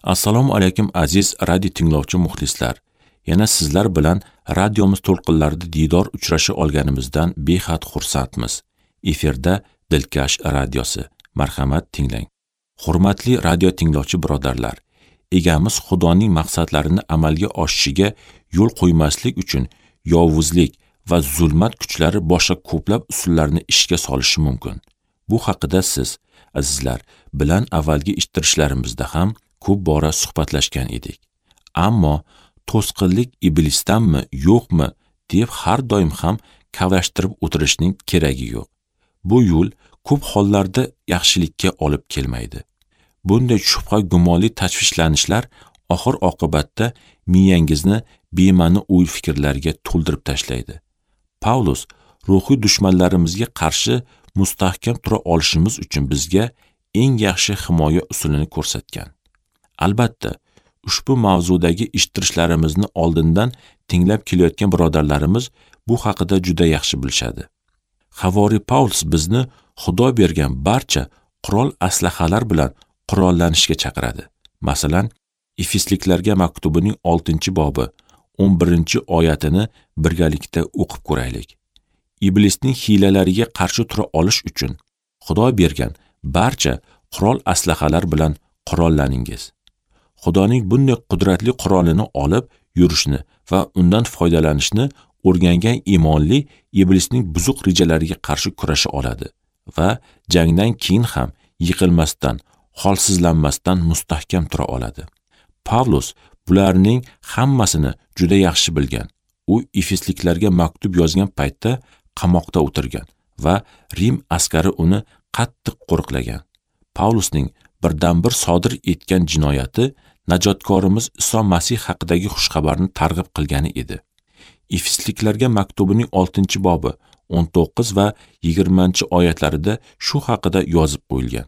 Assalomu alaykum aziz radio tinglovchi muxlislar. Yana sizlar bilan radiomiz to'lqinlarida diydor uchrasha olganimizdan behad xursandmiz. Efirda Dilkash radiosi. Marhamat tinglang. Hurmatli radio tinglovchi birodarlar, egamiz Xudoning maqsadlarini amalga oshishiga yo'l qo'ymaslik uchun yovuzlik va zulmat kuchlari boshqa ko'plab usullarni ishga solishi mumkin. Bu haqida siz, azizlar, bilan avvalgi eshittirishlarimizda ham ko'p bora suhbatlashgan edik. Ammo to'sqinlik iblisdanmi, yo'qmi deb har doim ham kavlashtirib o'tirishning keragi yo'q. Bu yo'l ko'p hollarda yaxshilikka olib kelmaydi. Bunday shubha gumonli tashvishlanishlar oxir oqibatda miyangizni bema'ni o'y fikrlarga to'ldirib tashlaydi. Pavlus ruhiy dushmanlarimizga qarshi mustahkam tura olishimiz uchun bizga eng yaxshi himoya usulini ko'rsatgan. Albatta, ushbu mavzudagi eshittirishlarimizni oldindan tinglab kelayotgan birodarlarimiz bu haqida juda yaxshi bilishadi. Havoriy Pavlus bizni Xudo bergan barcha qurol aslahalar bilan qurollanishga chaqiradi. Masalan, Efesliklarga maktubining 6-bobi 11-oyatini birgalikda o'qib ko'raylik. Iblisning hiylalariga qarshi tura olish uchun Xudo bergan barcha qurol aslahalar bilan qurollaningiz. Xudoning bunday qudratli qurolini olib yurishni va undan foydalanishni o'rgangan iymonli iblisning buzuq rejalariga qarshi kurasha oladi va jangdan keyin ham yiqilmasdan, holsizlanmasdan mustahkam tura oladi. Pavlus bularning hammasini juda yaxshi bilgan. U Efesliklarga maktub yozgan paytda qamoqda o'tirgan va Rim askari uni qattiq qo'riqlagan. Pavlusning birdan-bir sodir etgan jinoyati najotkorimiz Iso Masih haqidagi xushxabarni targ'ib qilgani edi. Efesliklarga maktubining 6-bobi 19 va 20-oyatlarida shu haqida yozib qo'yilgan.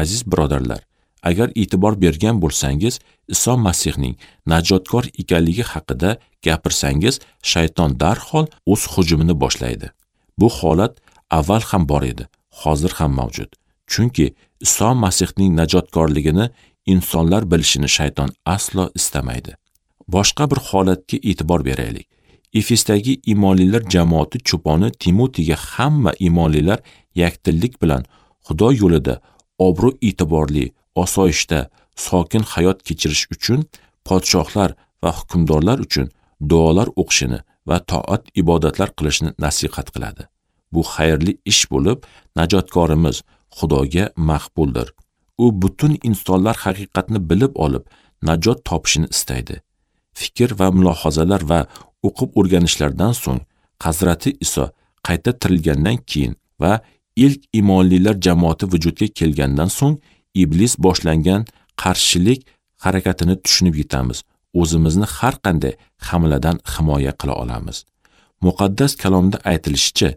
Aziz birodarlar, agar e'tibor bergan bo'lsangiz, Iso Masihning najotkor ekanligi haqida gapirsangiz, shayton darhol o'z hujumini boshlaydi. Bu holat avval ham bor edi, hozir ham mavjud. Chunki Iso Masihning najotkorligini insonlar bilishini shayton aslo istamaydi. Boshqa bir holatga e'tibor beraylik. Efesdagi iymonlilar jamoati cho'poni Timotiyga hamma iymonlilar yakdillik bilan Xudo yo'lida obro' e'tiborli, osoyishta, sokin hayot kechirish uchun podshohlar va hukmdorlar uchun duolar o'qishini va toat ibodatlar qilishni nasihat qiladi. Bu xayrli ish bo'lib, najotkorimiz Xudoga maqbuldir. U butun insonlar haqiqatni bilib olib, najot topishini istaydi. Fikr va mulohazalar va o'qib o'rganishlardan so'ng Hazrati Iso qayta tirilgandan keyin va ilk iymonlilar jamoati vujudga kelgandan so'ng iblis boshlangan qarshilik harakatini tushunib yetamiz. O'zimizni har qanday hamladan himoya qila olamiz. Muqaddas kalomda aytilishicha,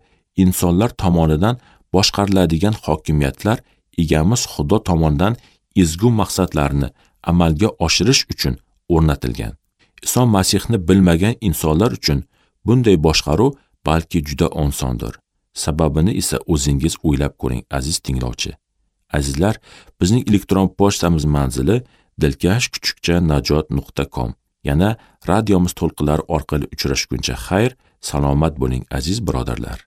insonlar tomonidan boshqariladigan hokimiyatlar egamiz Xudo tomonidan ezgu maqsadlarni amalga oshirish uchun o'rnatilgan. Iso Masihni bilmagan insonlar uchun bunday boshqaruv balki juda osondir. Sababini esa o'zingiz o'ylab ko'ring, aziz tinglovchi. Azizlar, bizning elektron pochtamiz manzili dilkash@najot.com. Yana radiomiz to'lqinlari orqali uchrashguncha xayr, salomat bo'ling aziz birodarlar.